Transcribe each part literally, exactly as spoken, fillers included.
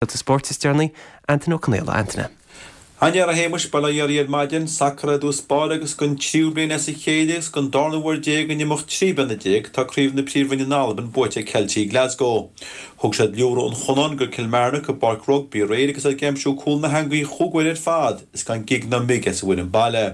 Scéalta spóirt is deireanaí, Antaine Ó Conaola. Antaine. An-fhear a Shéamais, bail ó Dhia oraibh ar maidin, sacar i dtús báire agus don tríú bliain as a chéile agus don darna huair déag in imeacht trí bliana déag tá Craobh na Príomhroinne in Albain buaite ag Ceiltigh Glasgow. Thug siad liúradh an Chonáin go Kilmarnock i bPáirc Rugby aréir agus iad ag aimsiú cúl na heangaí chúig uair ar fad is gan gig ná mig as an bhfoireann baile.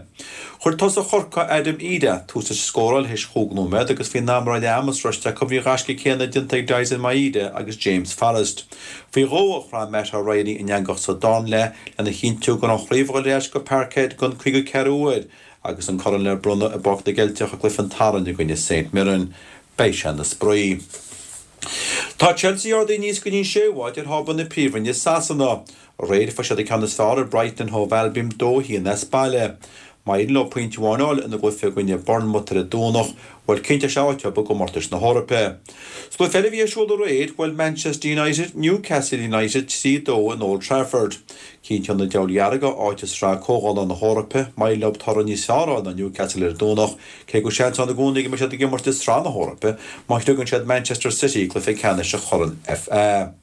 Chuir tosach Chorcaí Adam Idah tús leis an scóráil théis chúig nóiméad agus faoin am a raibh leath ama sroichte acu bhí an gaisce céanna déanta ag Daizen Maeda agus James Forrest. Faoi dhó a chrom Matt O'Reilly an eangach sa darna leath lena chinntiú go raibh an chraobh ag dul ar ais go Parkhead don cúigiú ceathrú huair agus an corn le bronnadh i bPáirc na gCeilteach i gcluiche an tSathairn i gcoinne St Mirren. Beidh sé ina spraoi. Tá Chelsea ardaithe aníos go dtí an séú háit ar thábla na Príomhroinne i Sasana. Aréir fuair siad an ceann is fearr ar Brighton and Hove Albion dó a haon as baile. Má éiríonn leo pointe amháin a fháil ina gcluiche i gcoinne Bournemouth ar an Domhnach, bhuel cinnteoidh sé áit dóibh i gcomórtais na hEorpa. Sa gcluiche eile a bhí ar siúl aréir, bhuail Manchester United Newcastle United trí dó in Old Trafford. Cinnteoidh na Diabhail Dhearga áit i Sraith Comhdhála na hEorpa má éiríonn leo toradh níos fearr a fháil ná Newcastle ar an Domhnach, cé go bhfuil seans ann i gcónaí go mbeidh siad ag imirt i Sraith na hEorpa má shriogann siad Manchester City i gcluiche ceannais an Chorn FA.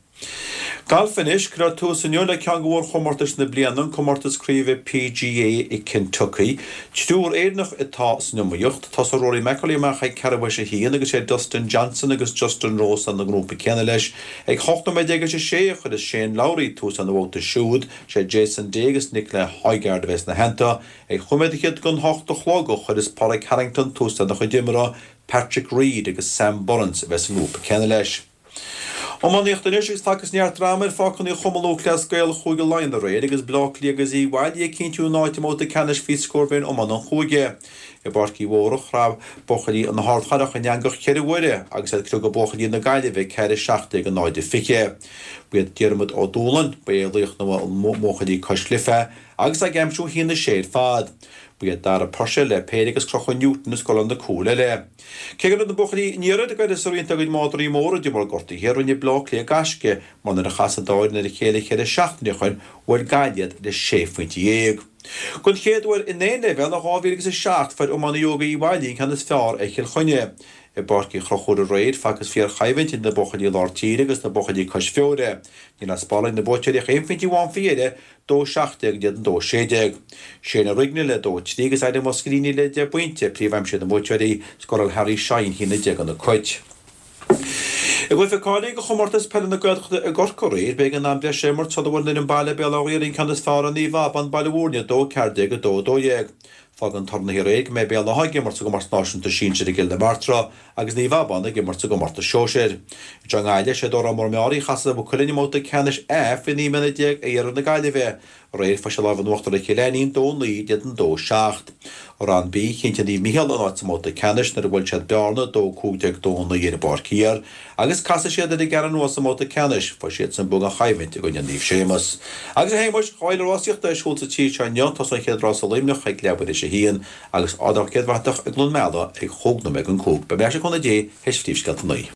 Galf anois, Cuirfear tús inniu le ceann de mhórchomórtais na bliana, an comórtas craoibhe PGA i Kentucky. Triúr Éireannach atá san iomaíocht. Tosóidh Rory McIlroy amach ag ceathrú théis a haon agus sé Dustin Johnson agus Justin Rose sa ngrúpa céanna leis. Ag hocht nóiméad déag théis a sé a chuirfeas Shane Lowry tús lena bhabhta siúd. Sé Jason Day agus Nicolai Højgaard a bheas ina theannta. Ag chúig nóiméad fhichead don hocht a chlog a chuirfeas Pádraig Harrington tús lena chuid imeartha. Patrick Reed agus Sam Burns a bheas sa ngrúpa céanna leis. Iománaíocht anois agus facthas neart dráma ar pháirceanna Chumann Lúthchleas Gael Chúige Laighean aréir agus Baile Átha Cliath agus Uíbh Fhailí ag cinntiú a n-áit i mbabhta ceannais faoi scór mhéin iomána an chúige. I bPáirc Uí Mhórdha, chrap buachaillí na hArdchathrach an eangach ceithre huaire agus iad ag criogadh buachaillí na Gaillimhe ceathair a seacht déag a náid a fiche. Ba iad Diarmuid Ó Dúlainn, ba é laoch na mbuachaillí cois Life agus é ag aimsiú a haon a sé ar fad. Ba iad Dara Purcell le péire agus Conchúr Newton a scóráil na cúil eile. Cé go raibh na buachaillí an iarthair ag éirí as roinnt dá gcuid madraí móra de bharr gortuithe, rinne Baile Átha Cliath gaisce mar nuair a chas an dá fhoireann ar a chéile ceithre seachtaine ó shin, bhuail Gaillimh iad le sé phointe dhéag. Don chéad uair in aon leibhéal ó dhá mhíle agus a seacht, fuair iománaí óga Uíbh Fhailí an ceann is fearr ar Chill Chainnigh. I bPáirc Uí Chonchúir aréir, facthas fíorchoimhlint idir na buachaillí lár tíre agus na buachaillí cois Feoire. Ní raibh spáráil ag na buaiteoirí ach aon phointe amháin faoi dheireadh, dó seacht déag in éadan dó sé déag. Shane Ó Rigney le dó trí agus Adam Ó Sclíní le deich bpointe, príomhaimsithe na mbuaiteoirí, scóráil Harry Shine haon a deich do na Cait. I gcluiche cáilithe do Chomórtas Peile na Gaeltachta i gCorcaigh aréir, b'éigean am breise a imirt sula bhfuair an fhoireann baile Béal Átha Ghaorthaidh an ceann is fearr ar Naomh Abán, Baile Mhúirne, dó ceathair déag a dó a dó dhéag. Fágann toradh na aréir go mbeidh Béal Átha ag imirt sa gcomórtas náisiúnta sinsir i gCill na Martra agus Naomh Abán ag imirt sa gcomórtas sóisir. Anseo i nGaillimh, sé Dórán Mór Meáraí a chasfaidh le Maigh Cuilinn i mbabhta ceannais A faoi naoi mbliana déag i iarthar na Gaillimhe. Aréir fuair siad lámh in uachtar ar Chill Ainnín, dó naoi in éadan dó seacht. I Rang B, chinntigh Naomh Micheál a n-áit sa mbabhta ceannais nuair a bhuail siad Bearna, dó cúig déag dó naoi ar an bPáirc Thiar agus casfaidh siad ar an gCeathrú Rua sa mbabhta ceannais, fuair siadsan bua gan choimhlint i gcoinne Naomh Séamus. Agus a Shéamuis, dhá fhéile rásaíochta ar siúl sa tír seo inniu, tosóidh an chéad rás i Luimneach ag leathuair théis a haon agus Ardán Chéad Bhratach i gCluain Meala ag chúig nóiméad don cúig. Beidh mé ar ais le cúnamh Dé théis phríomhscéalta a naoi.